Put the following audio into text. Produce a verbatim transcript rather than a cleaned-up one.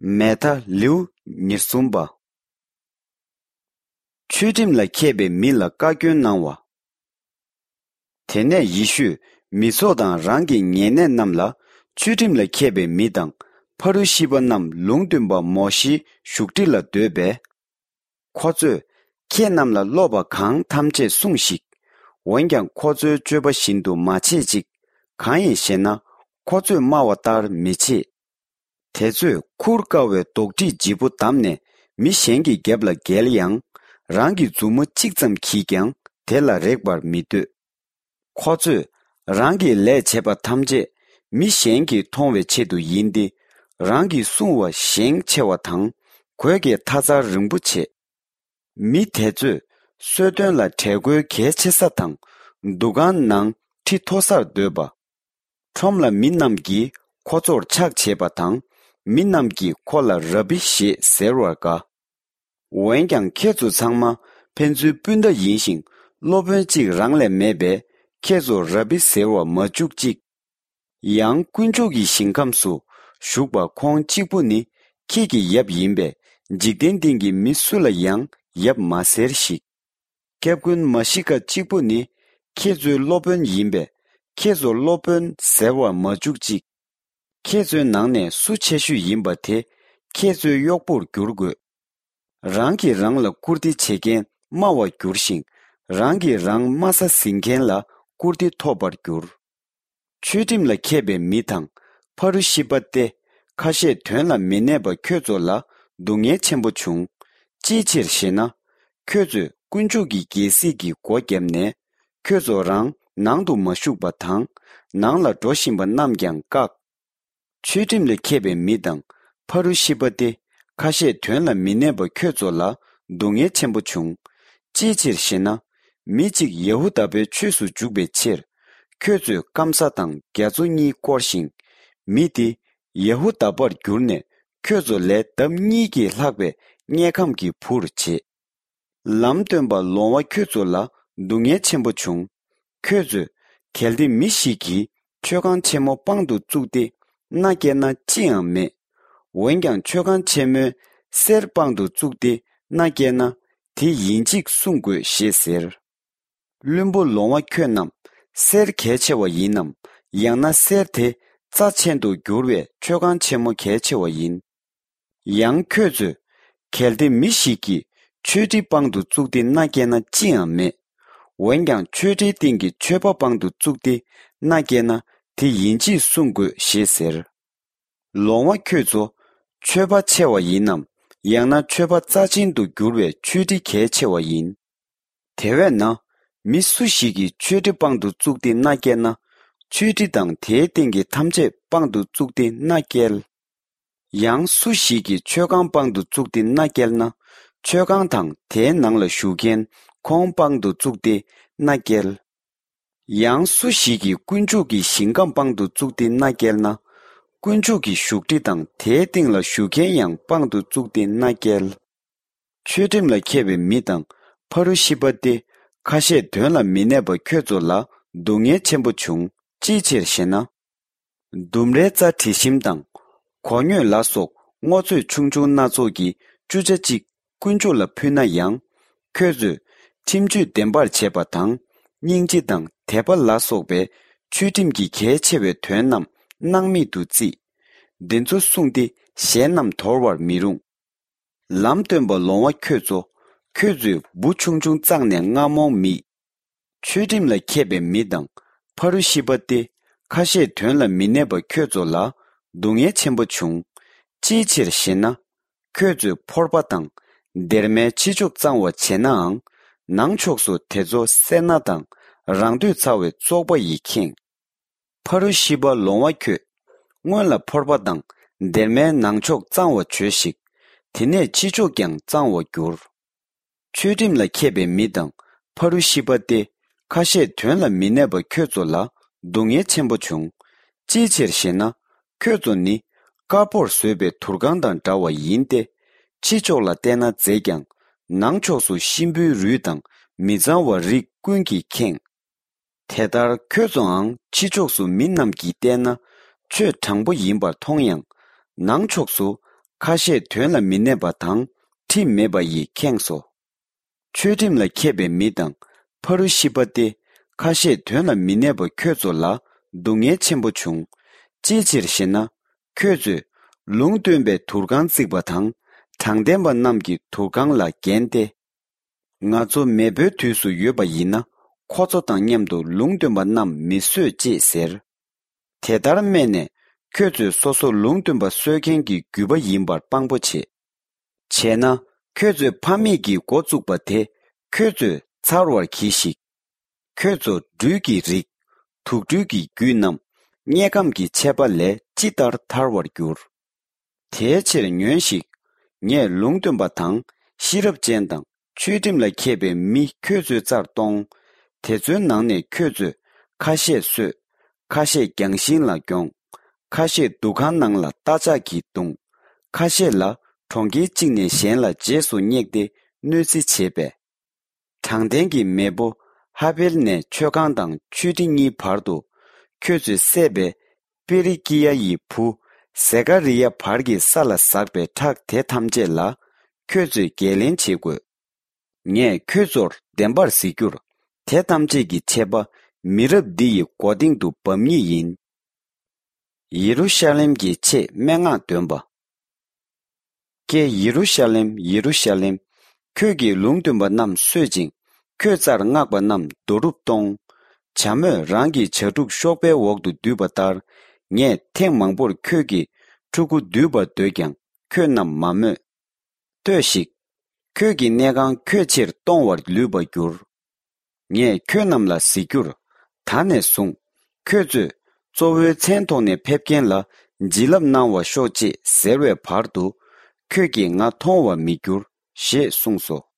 མེ་ཐ། ལེའུ་ཉེར་གསུམ་པ། ཆོས་ཁྲིམས་ལ་མཁས་པའི་མི་ལ་བཀའ་བཀྱོན་གནང་བ། དེ་ནས་ཡེ་ཤུས་མི་ཚོགས་དང་རང་གི་ཉེ་གནས་རྣམས་ལ། ཆོས་ཁྲིམས་ལ་མཁས་པའི་མི་དང་ཕ་རུ་ཤི་པ་རྣམས་ལུང་སྟོན་པ་མོ་ཤེའི་བཞུགས་ཁྲི་ལ་སྡོད་པས། ཁོ་ཚོས་ཁྱེད་རྣམས་ལ་སློབ་པ་གང་ཐམས་ཅད་སྲུངས་ཤིག། འོན་ཀྱང་ཁོ་ཚོའི་སྤྱོད་པ་བཞིན་དུ་མ་བྱེད་ཅིག། གང་ཡིན་ཞེ་ན། ཁོ་ཚོས་སྨྲ་བ་ལྟར་མི་བྱེད། དེ་ཚོས་ཁུར་དཀའ་བའི་རྡོག་ཁྲེས་ལྗིད་པོ་བསྡམས་ནས་མི་གཞན་གྱི་རྒྱབ་ལ་འགེལ་ཡང་། རང་གི་མཛུབ་མོ་གཅིག་ཙམ་གྱིས་ཀྱང་དེ་ལ་རེག་པར་མི་འདོད། ཁོ་ཚོས་རང་གིས་ལས་བྱས་པ་ཐམས་ཅད་མི་གཞན་གྱིས་མཐོང་བའི་ཆེད་དུ་ཡིན་ཏེ། རང་གིས་སྲུང་བ་ཞེང་ཆེ་བ་དང་གོས་ཀྱི་མཐའ་ཚར་རིང་པོ་བྱེད། མི་དེ་ཚོས་གསོལ་སྟོན་ལ་གྲལ་མགོའི་གལ་ཆེ་ས་དང་། འདུ་ཁང་ནང་ཁྲི་མཐོ་སར་སྡོད་པ། ཁྲོམ་ལ་མི་རྣམས་ཀྱིས་ཁོ་ཚོར་ཕྱག་བྱེད་པ་དང་། མི་རྣམས་ཀྱིས་ཁོ་ལ་རབ་བི་ཞེས་ཟེར་བར་དགའ། འོན་ཀྱང་ཁྱེད་ཚོ་ཚང་མ་ཕན་ཚུན་སྤུན་ཟླ་ཡིན་ཞིང་། སློབ་དཔོན་གཅིག་རང་ལས་མེད་པས། ཁྱེད་ཚོར་རབ་བི་ཟེར་བར་མ་འཇུག་ཅིག། ཡང་དཀོན་མཆོག་གི་ཞིང་ཁམས་སུ་བཞུགས་པ་ཁོང་གཅིག་པུ་ནི་ཁྱེད་ཀྱི་ཡབ་ཡིན་པས། འཇིག་རྟེན་སྟེང་གི་མི་སུ་ལ་ཡང་ཡབ་མ་ཟེར་ཞིག། སྐྱབས་མགོན་མ་ཤི་ཀ་གཅིག་པུ་ནི་ཁྱེད་ཚོའི་སློབ་དཔོན་ཡིན་པས། ཁྱེད་ཚོར་སློབ་དཔོན་ཟེར་བར་མ་འཇུག་ཅིག། ཁྱེད་ཚོའི་ནང་ནས་སུ་ཆེ་ཤོས་ཡིན་པ་དེ་ཁྱེད་ཚོའི་གཡོག་པོར་འགྱུར་དགོས། རང་གིས་རང་ལ་བཀུར་སྟི་བྱེད་མཁན་དམའ་བར་འགྱུར་ཞིང་། རང་གིས་རང་དམའ་ས་ཟིན་མཁན་ལ་བཀུར་སྟི་ཐོབ་པར་འགྱུར། ཆོས་ཁྲིམས་ལ་མཁས་པའི་མི་དང་ཕ་རུ་ཤི་པ་སྟེ། ཁ་བཤད་དོན་ལ་མི་གནས་པ་ཁྱོད་ཚོ་ལ་སྡུག་བསྔལ་ཆེན་པོ་བྱུང་། ཅིའི་ཕྱིར་ཞེ་ན། ཁྱོད་ཚོས་དཀོན་མཆོག་གི་རྒྱལ་སྲིད་ཀྱི་སྒོ་བརྒྱབ་ནས། ཁྱོད་ཚོ་རང་ནང་དུ་མ་ཞུགས་པ་དང་། ནང་ལ་འགྲོ་བཞིན་པ་རྣམས་ཀྱང་བཀག། ཆོས་ཁྲིམས་ལ་མཁས་པའི་མི་དང་ཕ་རུ་ཤི་པ་སྟེ། ཁ་བཤད་དོན་ལ་མི་གནས་པ་ཁྱོད་ཚོ་ལ་སྡུག་བསྔལ་ཆེན་པོ་བྱུང་། ཅིའི་ཕྱིར་ཞེ་ན། མི་གཅིག་ཡ་ཧུ་དཱ་པའི་ཆོས་སུ་འཇུག་པའི་ཕྱིར། ཁྱོད་ཚོས་སྐམ་ས་དང་རྒྱ་མཚོ་གཉིས་བསྐོར་ཞིང་། མི་དེ་ཡ་ཧུ་དཱ་པར་གྱུར་ནས། ཁྱོད་ཚོ་ལས་ལྡབ་གཉིས་ཀྱིས་ལྷག་པའི་དམྱལ་ཁམས་ཀྱི་བུར་བྱེད། ལམ་སྟོན་པ་ལོང་བ་ཁྱོད་ཚོ་ལ་སྡུག་བསྔལ་ཆེན་པོ་བྱུང་། ཁྱོད་ཚོས་གལ་ཏེ་མི་ཞིག་གིས་མཆོད་ཁང་ཆེན་མོ་པང་དུ་བཙུགས་ཏེ་མནའ་བསྐྱལ་ན་ཅི་ཡང་མེད། འོན་ཀྱང་མཆོད་ཁང་ཆེན་མོའི་གསེར་པང་དུ་བཙུགས་ཏེ་མནའ་བསྐྱལ་ན། དེ་ཡིན་གཅིག་སྲུང་དགོས་ཞེས་ཟེར། བླུན་པོ་ལོང་བ་ཁྱོད་རྣམས། གསེར་གལ་ཆེ་བ་ཡིན་ནམ། ཡང་ན་གསེར་དེ་རྩ་ཆེན་དུ་གྱུར་བའི་མཆོད་ཁང་ཆེན་མོ་གལ་ཆེ་བ་ཡིན། ཡང་ཁྱོད་ཚོས། གལ་ཏེ་མི་ཞིག་གིས་མཆོད་ཁྲི་པང་དུ་བཙུགས་ཏེ་མནའ་བསྐྱལ་ན་ཅི་ཡང་མེད། འོན་ཀྱང་མཆོད་ཁྲིའི་སྟེང་གི་མཆོད་པ་པང་དུ་བཙུགས་ཏེ་མནའ་བསྐྱལ་ན། དེ་ཡིན་གཅིག་སྲུང་དགོས་ཞེས་ཟེར། ལོང་བ་ཁྱོད་ཚོ། མཆོད་པ་ཆེ་བ་ཡིན་ནམ། ཡང་ན་མཆོད་པ་རྩ་ཆེན་དུ་གྱུར་བའི་མཆོད་ཁྲི་གལ་ཆེ་བ་ཡིན། དེ་བས་ན། མི་སུ་ཞིག་གིས་མཆོད་ཁྲི་པང་དུ་བཙུགས་ཏེ་མནའ་བསྐྱལ་ན། མཆོད་ཁྲི་དང་དེའི་སྟེང་གི་ཐམས་ཅད་པང་དུ་བཙུགས་ཏེ་མནའ་བསྐྱལ། ཡང་སུ་ཞིག་གིས་མཆོད་ཁང་པང་དུ་བཙུགས་ཏེ་མནའ་བསྐྱལ་ན། མཆོད་ཁང་དང་དེའི་ནང་ལ་བཞུགས་མཁན་ཁོང་པང་དུ་བཙུགས་ཏེ་མནའ་བསྐྱལ། ཡང་སུ་ཞིག་གིས་དཀོན་མཆོག་གི་ཞིང་ཁམས་པང་དུ་བཙུགས་ཏེ་མནའ་བསྐྱལ་ན། དཀོན་མཆོག་གི་བཞུགས་ཁྲི་དང་དེའི་སྟེང་ལ་བཞུགས་མཁན་ཡང་པང་དུ་བཙུགས་ཏེ་མནའ་བསྐྱལ། ཆོས་ཁྲིམས་ལ་མཁས་པའི་མི་དང་ཕ་རུ་ཤི་པ་སྟེ། ཁ་བཤད་དོན་ལ་མི་གནས་པ་ཁྱོད་ཚོ་ལ་སྡུག་བསྔལ་ཆེན་པོ་བྱུང་། ཅིའི་ཕྱིར་ཞེ་ན། ལྡུམ་རའི་རྩྭ་དྲི་ཞིམ་དང་། གོ་སྙོད་ལ་སོགས་སྔོ་ཚོད་ཆུང་ཆུང་སྣ་ཚོགས་ཀྱི་བཅུ་ཆ་གཅིག་དཀོན་མཆོག་ལ་ཕུལ་ན་ཡང་། ཁྱོད་ཚོས་ཁྲིམས་གཅོད་བདེན་པར་བྱས་པ་དང་། སྙིང་རྗེ་དང་དད་པ་ལ་སོགས་པའི་ཆོས་ཁྲིམས་ཀྱི་གལ་ཆེ་བའི་དོན་རྣམས་སྣང་མེད་དུ་བརྩིས། འདི་ཚོ་བསྲུངས་ཏེ་ཞལ་རྣམས་དོར་བར་མི་རུང་། ལམ་སྟོན་པ་ལོང་བ་ཁྱོད་ཚོ། ཁྱོད་ཚོས་འབུ་ཆུང་ཆུང་བཙགས་ནས་རྔ་མོང་མིད། ཆོས་ཁྲིམས་ལ་མཁས་པའི་མི་དང་ཕ་རུ་ཤི་པ་སྟེ། ཁ་བཤད་དོན་ལ་མི་གནས་པ་ཁྱོད་ཚོ་ལ་སྡུག་བསྔལ་ཆེན་པོ་བྱུང་། ཅིའི་ཕྱིར་ཞེ་ན། ཁྱོད་ཚོས་ཕོར་པ་དང་སྡེར་མའི་ཕྱི་ཕྱོགས་གཙང་བ་བྱས་ནའང་། ནང་ཕྱོགས་སུ་དེ་ཚོ་སེར་སྣ་དང་རང་འདོད་ཚ་བའི་བཙོག་པ་ཡིས་ཁེངས། ཕ་རུ་ཤི་པ་ལོང་བ་ཁྱོད། སྔོན་ལ་ཕོར་པ་དང་སྡེར་མའི་ནང་ཕྱོགས་གཙང་བ་བྱོས་ཤིག། དེ་ནས་ཕྱི་ཕྱོགས་ཀྱང་གཙང་བར་འགྱུར། ཆོས་ཁྲིམས་ལ་མཁས་པའི་མི་དང་ཕ་རུ་ཤི་པ་སྟེ། ཁ་བཤད་དོན་ལ་མི་གནས་པ་ཁྱོད་ཚོ་ལ་སྡུག་བསྔལ་ཆེན་པོ་བྱུང་། ཅིའི་ཕྱིར་ཞེ་ན། ཁྱོད་ཚོ་ནི་དཀར་པོར་བཟོས་པའི་དུར་ཁང་དང་འདྲ་བ་ཡིན་ཏེ། ཕྱི་ཕྱོགས་ལ་བལྟས་ན་མཛེས་ཀྱང་། ནང་ཕྱོགས་སུ་གཤིན་པོའི་རུས་དང་མི་གཙང་བ་རིགས་ཀུན་གྱིས་ཁེངས། དེ་ལྟར་ཁྱོད་ཚོའང་ཕྱི་ཕྱོགས་སུ་མི་རྣམས་ཀྱིས་བལྟས་ན་ཆོས་དྲང་པོ་ཡིན་པར་མཐོང་ཡང་། ནང་ཕྱོགས་སུ་ ཁ་བཤད་དོན་ལ་མི་གནས་པ་དང་ཁྲིམས་མེད་པ་ཡིས་ཁེངས་སོ། ཆོས་ཁྲིམས་ལ་མཁས་པའི་མི་དང་ཕ་རུ་ཤི་པ་སྟེ་ཁ་བཤད་དོན་ལ་མི་གནས་པ་ཁྱོད་ཚོ་ལ་སྡུག་བསྔལ་ཆེན་པོ་བྱུང་། ཅིའི་ཕྱིར་ཞེ་ན། ཁྱོད་ཚོས་ལུང་སྟོན་པའི་དུར་ཁང་བརྩིགས་པ་དང་དྲང་བདེན་པ་རྣམས་ཀྱི་དུར་ཁང་ལ་འགན་སྟེ། ང་ཚོ་མེས་པོའི་དུས་སུ་ཡོད་པ་ཡིན་ན་ཁོ་ཚོ་དང་མཉམ་དུ་ལུང་སྟོན་པ་རྣམས་མི་གསོད་ཅེས་ཟེར། དེ་ལྟར་སྨྲས་ནས་ཁྱོད་ཚོས་སོ་སོ་ལུང་སྟོན་པ་གསོད་མཁན་གྱི་རྒྱུད་པ་ཡིན་པར་དཔང་པོ་བྱེད། བྱས་ན་ཁྱོད་ཚོའི་ཕ་མེས་ཀྱིས་འགོ་བཙུགས་པ་དེ་ཁྱོད་ཚོས་ཚར་བར་གྱིས་ཤིག། ཁྱོད་ཚོ་སྦྲུལ་གྱི་རིགས། དུག་སྦྲུལ་གྱི་རྒྱུད་རྣམས་དམྱལ་ཁམས་ཀྱི་ཆད་པ་ལས་ཅི་ལྟར་ཐར་བར་འགྱུར། དེའི་ཕྱིར་ཉོན་ཞིག། ངས་ལུང་སྟོན་པ་དང་ཤེས་རབ་ཅན་དང་ཆོས་ཁྲིམས་ལ་མཁས་པའི་མི་ཁྱོད་ཚོའི་རྩར་གཏོང་། དེ་ཚོའི་ནང་ནས་ཁྱོད་ཚོས་ཁ་ཤས་གསོད། ཁ་ཤས་རྒྱང་ཤིང་ལ་རྒྱོང་། ཁ་ཤས་འདུ་ཁང་ནང་ལ་རྟ་ལྕག་གིས་བརྡུང་། ཁ་ཤས་ལ་གྲོང་ཁྱེར་གཅིག་ནས་གཞན་ལ་རྗེས་སུ་བསྙེགས་ཏེ་གནོད་འཚེ་བྱེད་པས། དྲང་བདེན་གྱི་མེས་པོ་ཧ་བེལ་ནས་མཆོད་ཁང་དང་མཆོད་ཁྲི་གཉིས་བར་དུ་ཁྱོད་ཚོས་བསད་པའི་པེ་རི་ཀི་ཡ་ཡི་བུ་ཟེ་ཀ་རི་ཡ་བར་གྱི་ས་ལ་ཟགས་པའི་ཁྲག་དེ་ཐམས་ཅད་ལ་ཁྱོད་ཚོས་འགན་ལེན་བྱེད་དགོས། ངས་ཁྱོད་ཚོར་བདེན་པར་གཟིགས་རྒྱུར། དེ་ཐམས་ཅད་ཀྱི་ཆད་པ་མི་རབས་འདི་ཡི་མགོ་སྟེང་དུ་འབབ་ངེས་ཡིན། ཡེ་རུ་ཤ་ལེམ་གྱི་ཆེད་སྨྲེ་སྔགས་འདོན་པ། ཀྱེ་ཡེ་རུ་ཤ་ལེམ། ཡེ་རུ་ཤ་ལེམ། ཁྱོད་ཀྱིས་ལུང་སྟོན་པ་རྣམས་གསོད་ཅིང་ཁྱོད་རྩར་མངགས་པ་རྣམས་རྡོ་རུབ་གཏོང་། བྱ་མོས་རང་གི་བྱ་ཕྲུག་གཤོག་པའི་འོག་ཏུ་འདུས་པ་ལྟར། ངས་ཐེངས་མང་པོར་ཁྱོད་ཀྱི་ཕྲུ་གུ་འདུས་པར་འདོད་ཀྱང་ཁྱོད་རྣམས་མ་མོས། ལྟོས་ཤིག། ཁྱོད་ཀྱི་གནས་ཁང་ཁྱོད་ཕྱིར་གཏོང་བར་ལུས་པར་འགྱུར། ངས་ཁྱོད་རྣམས་ལ་གཟིགས་རྒྱུར། ད་ནས་བཟུང་ཁྱོད་ཚོས་གཙོ་བོའི་མཚན་ཐོག་ནས་ཕེབས་མཁན་ལ་བྱིན་རླབས་གནང་བར་ཤོག་ཅེས་ཟེར་བའི་བར་དུ་ཁྱོད་ཀྱིས་ང་མཐོང་བར་མི་འགྱུར་ཞེས་གསུངས་སོ།